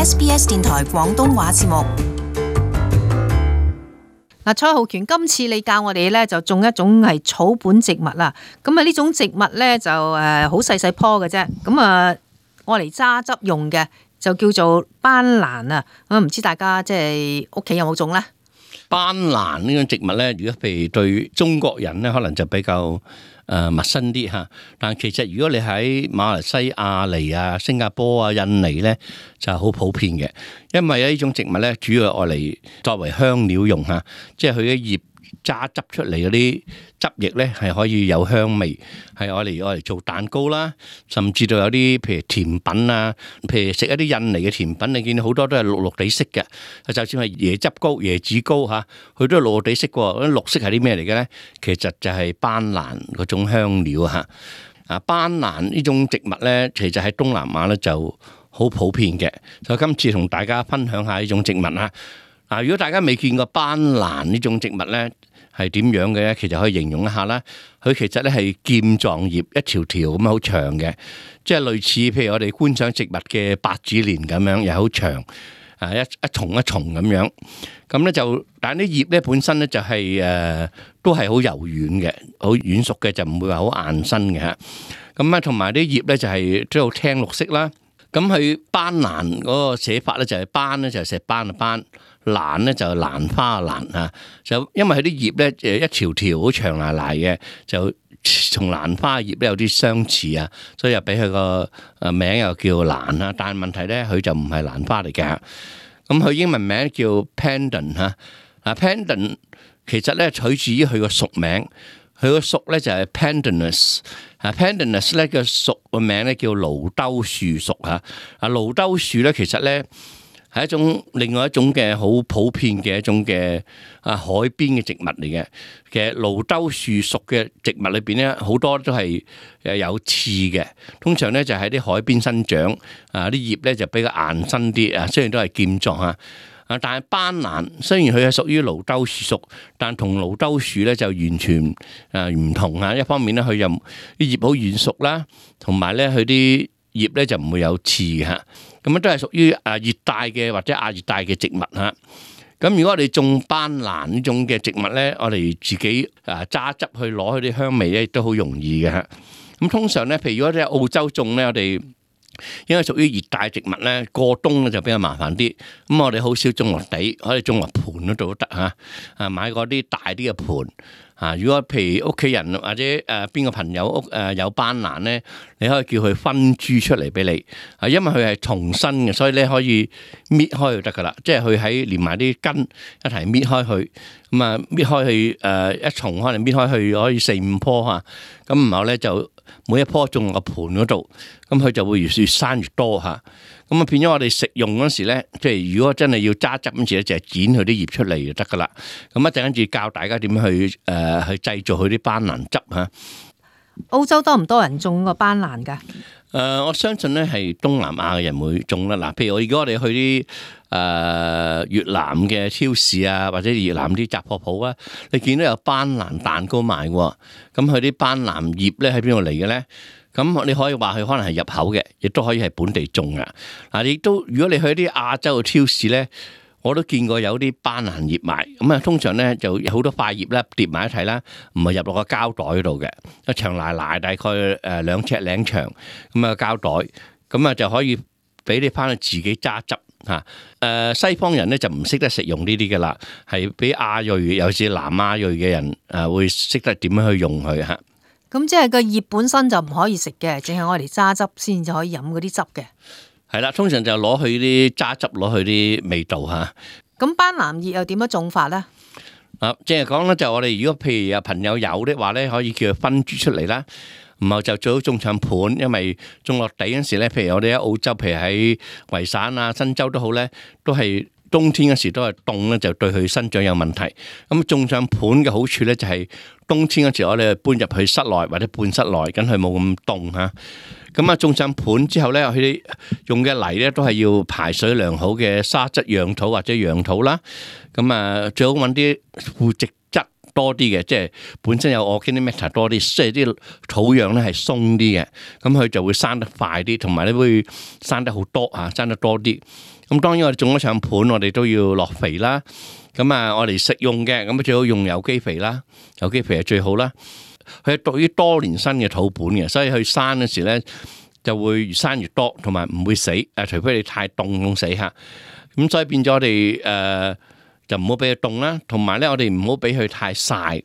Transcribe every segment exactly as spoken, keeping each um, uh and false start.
S B S 電台廣東話節目。嗱，蔡浩權，今次你教我哋咧就種一種係草本植物啦。咁啊，呢種植物咧就誒好細細棵嘅啫。咁啊，我嚟榨汁用嘅就叫做斑蘭啊。咁唔知大家即係屋企有冇種咧？斑蘭呢種植物咧，如果譬如對中國人咧，可能就比較誒陌生啲嚇。但其實如果你喺馬來西亞嚟啊、新加坡啊、印尼咧，就好普遍嘅。因為呢種植物咧，主要係愛嚟作為香料用嚇，即係佢嘅葉榨汁出嚟嗰啲汁液咧，係可以有香味，係愛嚟愛嚟做蛋糕啦，甚至到有啲譬如甜品啊，譬如食一啲印尼嘅甜品，你見到好多都係綠綠地色嘅，就算係椰汁糕、椰子糕嚇，佢都係綠綠地色嘅。嗰啲綠色係啲咩嚟嘅咧？其實就係斑蘭嗰種香料嚇。啊，斑蘭呢種植物咧，其實喺東南亞咧就好普遍嘅。所以今次同大家分享下呢種植物啦。嗱，如果大家未見過斑蘭呢種植物咧，係點樣嘅咧？其實可以形容一下啦。佢其實咧係劍狀葉，一條條咁好長嘅，即係類似譬如我哋觀賞植物嘅百子蓮咁樣，又好長，啊一一重一重咁樣。咁咧就，但係啲葉咧本身咧就係、是、誒、呃、都係好柔軟嘅，好軟熟嘅，就唔會話好硬身嘅嚇。咁啊，同埋啲葉咧就係都好青綠色啦。咁佢斑蘭嗰個寫法咧就係斑咧就係石斑嘅斑。蘭咧就係蘭花嘅蘭啊，就因為佢啲葉咧誒一條條好長賴賴嘅，就同蘭花葉咧有啲相似啊，所以又俾佢個誒名又叫蘭啊。但係問題咧，佢就唔係蘭花嚟嘅。咁佢英文名叫 Pandan 嚇，啊 Pandan 其實咧取自於佢個屬名，佢個屬咧就係 Pandanus，啊 Pandanus 咧個屬個名咧叫蘆兜樹屬嚇。啊蘆兜樹咧其實咧係一種另外一種嘅好普遍嘅一種嘅啊海邊嘅植物嚟嘅。其實蘆兜樹屬嘅植物裏邊咧，好多都係誒有刺嘅。通常咧就喺啲海邊生長，啊啲葉咧就比較硬身啲啊。雖然都係劍狀啊，啊但係斑蘭雖然佢係屬於蘆兜樹屬，但同蘆兜樹咧就完全誒唔同啊。一方面咧佢又啲葉好軟熟啦，同埋咧佢啲葉咧就唔會有刺嘅。咁樣都係屬於誒熱帶嘅或者亞熱帶嘅植物嚇。咁如果我哋種斑蘭呢種嘅植物咧，我哋自己誒榨汁去攞佢啲香味咧，都好容易嘅嚇。咁通常咧，譬如如果喺澳洲種咧，我哋因為屬於熱帶植物咧，過冬咧就比較麻煩啲。咁我哋好少種落地，可以種落盤嗰度都得嚇。啊，買嗰啲大啲嘅盤。啊！如果譬如屋企人或者誒邊個朋友屋誒有斑蘭咧，你可以叫佢分株出嚟俾你。啊，因為佢係重生嘅，所以咧可以搣開就得噶啦。即係佢喺連埋啲根一齊搣開佢，咁啊搣開佢誒一重可能搣開佢可以四五棵嚇。咁然後咧就每一棵種落個盤嗰度，咁佢就會越越生越多嚇。咁啊變咗我哋食用嗰時咧，即係如果真係要榨汁嗰時咧，就係剪佢啲葉出嚟就得噶啦。咁一陣跟住教大家點樣去誒、呃、去製造佢啲斑蘭汁嚇。澳洲多唔多人種個斑蘭㗎？誒、呃，我相信咧係東南亞嘅人會種啦。嗱，譬如我如果我哋去啲誒、呃、越南嘅超市啊，或者越南啲雜貨鋪啊，你見到有斑蘭蛋糕賣喎。咁佢啲斑蘭葉咧喺邊度嚟嘅咧？咁你可以話佢可能係入口嘅，亦都可以係本地種嘅。嗱，亦都如果你去啲亞洲嘅超市咧，我都見過有啲斑蘭葉賣。咁啊，通常咧就有好多塊葉咧疊埋一齊啦，唔係入落個膠袋嗰度嘅，一長賴賴大概誒兩尺零長咁啊膠袋，咁啊就可以俾你翻去自己榨汁嚇。誒西方人咧就唔識得食用呢啲嘅啦，係俾亞裔尤其是南亞裔嘅人誒會識得點樣去用佢嚇。咁即係個葉本身就唔可以食嘅，淨係我哋榨汁先至可以飲嗰啲汁嘅。係啦，通常就攞去啲榨汁，攞去啲味道嚇。咁斑蘭葉又點樣種法咧？啊，即係講咧，就我哋如果譬如有朋友有的話咧，可以叫佢分株出嚟啦。然後就最好種上盤，因為種落地嗰時咧，譬如我哋喺澳洲，譬如喺維省啊、新州都好咧，都係冬天嗰時都係凍咧，就對佢生長有問題。咁種上盤嘅好處咧，就係冬天嗰時我哋搬入去室內或者半室內，咁佢冇咁凍嚇。咁啊，種上盤之後咧，佢哋用嘅泥咧都係要排水良好嘅沙質樣土或者羊土啦。咁啊，最好揾啲腐殖質多啲嘅，即係本身有 organic matter 多啲，即係啲土壤咧係鬆啲嘅，咁佢就會生得快啲，同埋咧會生得好多啊，生得多啲。咁當然我哋種咗上盤，我哋都要落肥啦。咁啊，我哋食用嘅咁最好用有機肥啦，有機肥係最好啦。佢係屬於多年生嘅土本嘅，所以佢生嗰時咧就會越生越多，同埋唔會死。誒，除非你太凍凍死嚇。咁所以變咗我哋誒就唔好俾佢凍啦，同埋咧我哋唔好俾佢太曬。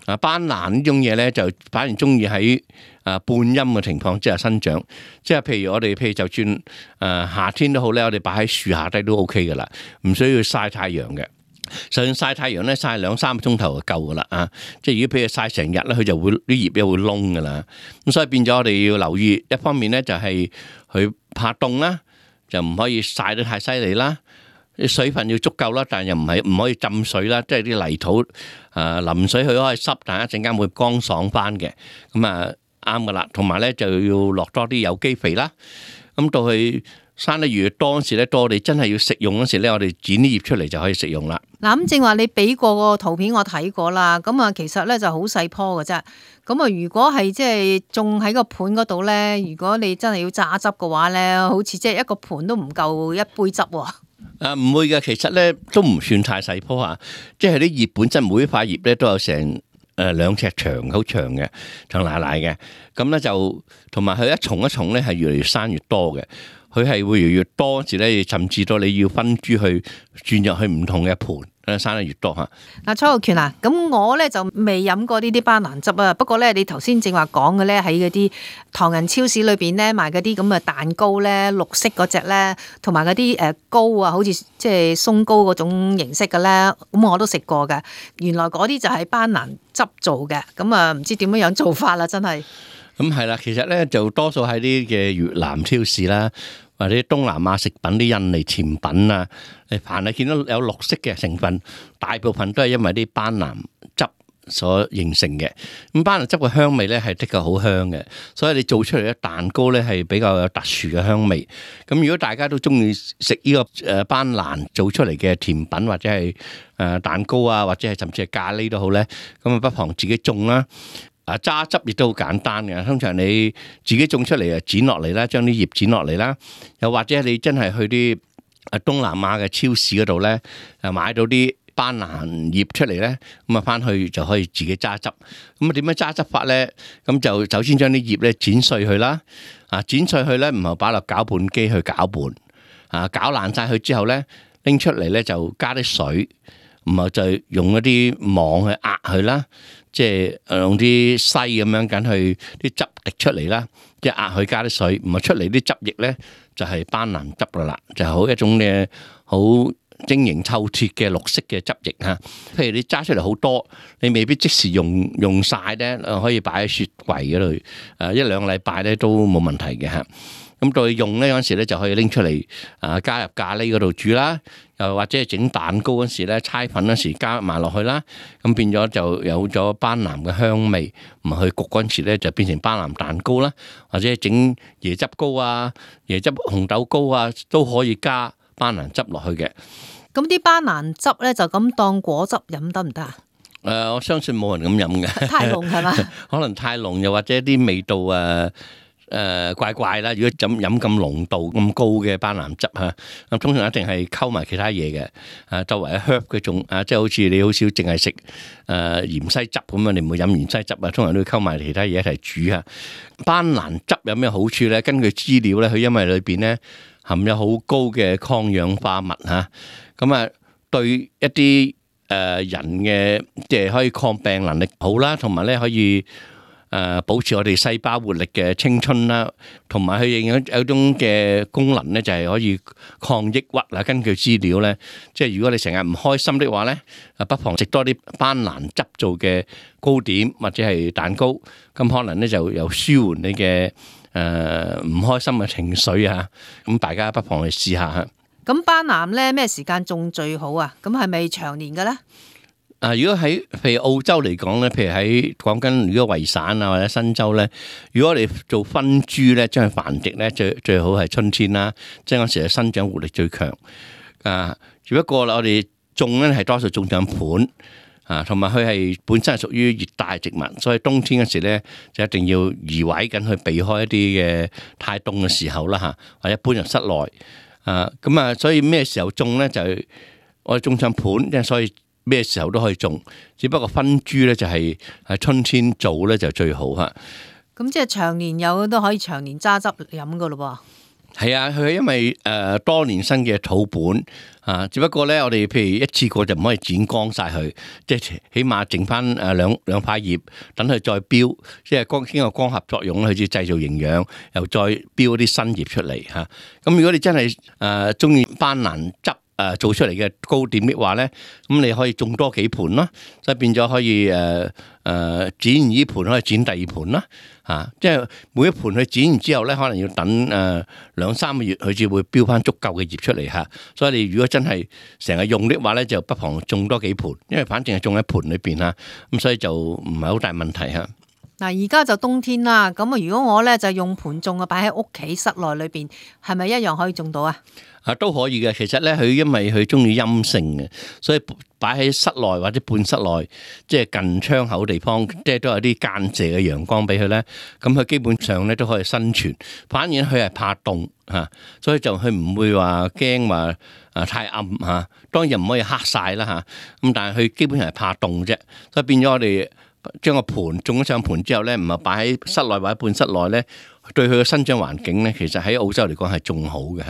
啊，斑蘭呢種嘢咧就反而中意喺啊半陰嘅情況之下生長，即係譬如我哋譬如就算誒夏天都好咧，我哋擺喺樹下低都 OK 噶啦，唔需要曬太陽嘅。就算曬太陽咧，曬兩三個鐘頭就夠噶啦啊！即係如果譬如曬成日咧，佢就會啲葉咧會燶噶啦。咁所以變咗我哋要留意，一方面咧就係佢怕凍啦，就唔可以曬得太犀利啦。水分要足夠啦，但係又唔係唔可以浸水啦，即係啲泥土啊淋水佢可以濕，但係一陣間會乾爽翻嘅。咁啊啱噶啦，同埋咧就要落多啲有機肥啦。咁到佢生得越多嗰時咧，到我哋真係要食用嗰時咧，我哋剪啲葉出嚟就可以食用啦。嗱，咁正話你俾過個圖片我睇過啦，咁啊其實咧就好細棵嘅啫。咁啊如果係即係種喺個盤嗰度咧，如果你真係要榨汁嘅話咧，好似即係一個盤都唔夠一杯汁喎。啊，唔會嘅，其實咧都唔算太細棵啊，即係啲葉本身每一塊葉咧都有成誒兩尺長，好長嘅，長奶奶嘅。咁咧就同埋佢一重一重咧係越嚟越生越多嘅，佢係會越嚟越多時咧，甚至到你要分株去轉入去唔同嘅盤。生得越多嚇。嗱，蔡浩權啊，咁我咧就未飲過呢啲斑蘭汁啊。不過咧，你頭先正話講嘅咧，喺嗰啲唐人超市裏邊咧賣嗰啲咁嘅蛋糕咧，綠色嗰隻咧，同埋嗰啲誒糕啊，好似即係鬆糕嗰種形式嘅咧，咁我都食過嘅。原來嗰啲就係斑蘭汁做嘅，咁啊唔知點樣樣做法啦，真係。咁係啦，其實咧就多數喺啲嘅越南超市啦，或者東南亞食品啲印尼甜品啊，你凡係見到有綠色嘅成分，大部分都係因為啲斑蘭汁所形成嘅。咁斑蘭汁嘅香味咧係的確好香嘅，所以你做出嚟嘅蛋糕咧係比較有特殊嘅香味。咁如果大家都中意食呢個誒斑蘭做出嚟嘅甜品或者係誒蛋糕啊，或者係甚至係咖喱都好咧，咁啊不妨自己種啦。啊，榨汁亦都好簡單嘅，通常你自己種出嚟啊，剪落嚟啦，將啲葉剪落嚟啦，又或者你真係去啲啊東南亞嘅超市嗰度咧，啊買到啲斑蘭葉出嚟咧，咁啊翻去就可以自己榨汁。咁啊點樣榨汁法咧？咁就首先將啲葉咧剪碎佢啦，啊剪碎佢咧，唔係擺落攪拌機去攪拌，啊攪爛晒佢之後咧，拎出嚟咧就加啲水，唔係就用一啲網去壓佢啦。即係用啲篩咁樣緊去啲汁滴出嚟啦，即係壓佢加啲水，唔係出嚟啲汁液咧就係斑蘭汁噶啦，就係好一種嘅好晶瑩透徹嘅綠色嘅汁液嚇。譬如你揸出嚟好多，你未必即時用用曬咧，可以擺喺雪櫃嗰度，誒一兩個禮拜咧都冇問題嘅嚇。咁到你用咧嗰陣時咧就可以拎出嚟啊，加入咖喱嗰度煮啦，又或者係整蛋糕嗰時咧，搓粉嗰時加埋落去啦，咁變咗就有咗斑蘭嘅香味，唔係去焗嗰陣時咧就變成斑蘭蛋糕啦，或者整椰汁糕啊、椰汁紅豆糕啊，都可以加斑蘭汁落去嘅。咁啲斑蘭汁咧就咁當果汁飲得唔得啊？誒、呃，我相信冇人咁飲嘅，太濃係嘛？可能太濃，又或者啲味道啊。誒、呃、怪怪啦！如果飲飲咁濃度咁高嘅斑蘭汁嚇，咁通常一定係溝埋其他嘢嘅。啊，周圍 herb 嗰種啊，即係好似你好少淨係食誒芫茜汁咁啊，你唔會飲芫茜汁啊，通常都要溝埋其他嘢一齊煮嚇。斑蘭汁有咩好處咧？根據資料咧，佢因為裏邊咧含有好高嘅抗氧化物嚇，咁啊對一啲誒人嘅即係可以抗病能力好啦，同埋咧可以。誒保持我哋細胞活力嘅青春啦，同埋佢有有種嘅功能咧，就係可以抗抑鬱啦。根據資料咧，即係如果你成日唔開心的話咧，啊不妨食多啲斑蘭汁做嘅糕點或者係蛋糕，咁可能咧就有舒緩你嘅誒唔開心嘅情緒啊。咁大家不妨去試下嚇。咁斑蘭咧咩時間種最好啊？咁係咪長年嘅咧？啊！如果喺譬如澳洲嚟講咧，譬如喺講緊如果維省啊或者新州咧，如果我哋做分株咧，將佢繁殖咧，最最好係春天啦，即係嗰時係生長活力最強。啊，只不過我哋種咧係多數種上盤，啊，同埋佢係本身係屬於熱帶植物，所以冬天嗰時咧就一定要移位緊去避開一啲嘅太凍嘅時候啦嚇，或者搬入室內啊。咁啊，所以咩時候種咧就係我哋種上盤，即係所以咩時候都可以種，只不過分株咧就係喺春天做咧就最好嚇。咁即係長年有都可以長年揸汁飲噶咯喎。係啊，佢係因為誒、呃、多年生嘅土本啊，只不過咧我哋譬如一次過就唔可以剪光晒佢，即係起碼剩翻誒兩兩塊葉，等佢再標，即係光經過光合作用，佢至製造營養，又再標啲新葉出嚟嚇。咁、啊、如果你真係誒中意班蘭汁，誒做出嚟嘅糕點嘅話咧，咁你可以種多幾盤啦，所以變咗可以誒誒剪完呢盤可以剪第二盤啦，嚇！即係每一盤佢剪完之後咧，可能要等誒兩三個月，佢至會標翻足夠嘅葉出嚟嚇。所以你如果真係成日用的話咧，就不妨種多幾盤，因為反正係種喺盤裏邊嚇，咁所以就唔係好大問題嚇。嗱，而家就冬天啦，咁啊，如果我咧就用盤種啊，擺喺屋企室內裏邊，係咪一樣可以種到啊？啊，都可以嘅。其實咧，佢因為佢中意陰性嘅，所以擺喺室內或者半室內，即係近窗口地方，即係都有啲間射嘅陽光俾佢咧。咁佢基本上咧都可以生存。反而佢係怕凍嚇，所以就佢唔會話驚話啊太暗嚇。當然唔可以黑晒啦嚇。咁但係佢基本上係怕凍啫，所以變咗我哋將個盤種咗上盤之後咧，唔係擺喺室內或者半室內咧，對佢嘅生長環境咧，其實喺澳洲嚟講係仲好嘅。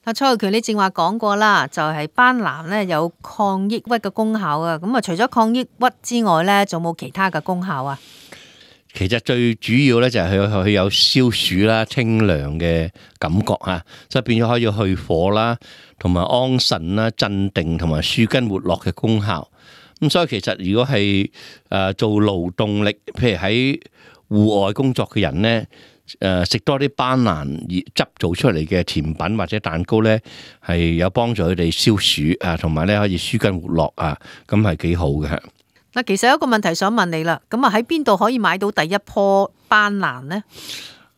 阿蔡浩權，你正話講過啦，就係、是、班蘭咧有抗抑鬱嘅功效啊。咁啊，除咗抗抑鬱之外咧，仲冇其他嘅功效啊？其實最主要咧就係佢佢有消暑啦、清涼嘅感覺嚇，所以變咗可以去火啦，同埋安神啦、鎮定同埋舒筋活絡嘅功效。咁所以其實如果係誒做勞動力，譬如喺戶外工作嘅人咧，誒食多啲班蘭汁做出嚟嘅甜品或者蛋糕咧，係有幫助佢哋消暑啊，同埋咧可以舒筋活絡啊，咁係幾好嘅。嗱，其實有一個問題想問你啦，咁啊喺邊度可以買到第一棵班蘭呢？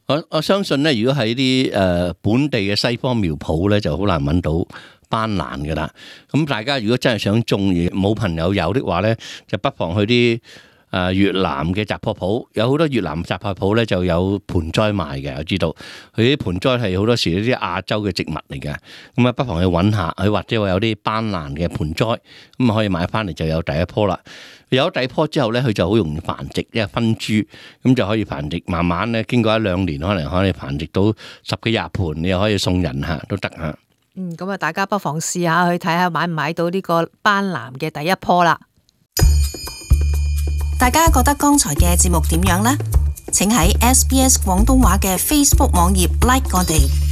我我相信咧，如果喺啲誒本地嘅西方苗圃咧，就好難揾到班蘭噶啦。咁大家如果真係想種而冇朋友有的話咧，就不妨去啲誒越南嘅雜貨鋪，有好多越南雜貨鋪咧就有盆栽賣嘅。我知道佢啲盆栽係好多時啲亞洲嘅植物嚟嘅，咁啊不妨去揾下，佢或者話有啲班蘭嘅盆栽，咁啊可以買翻嚟就有第一棵啦。有咗第一棵之後咧，佢就好容易繁殖，因為分株，咁就可以繁殖。慢慢咧，經過一兩年，可能可以繁殖到十幾廿盆，你又可以送人嚇都得嚇。嗯，咁啊，大家不妨試下去睇下買唔買到呢個班蘭嘅第一棵啦。大家覺得剛才嘅節目點樣呢？請喺 S B S 廣東話嘅 Facebook 網頁 like 我哋。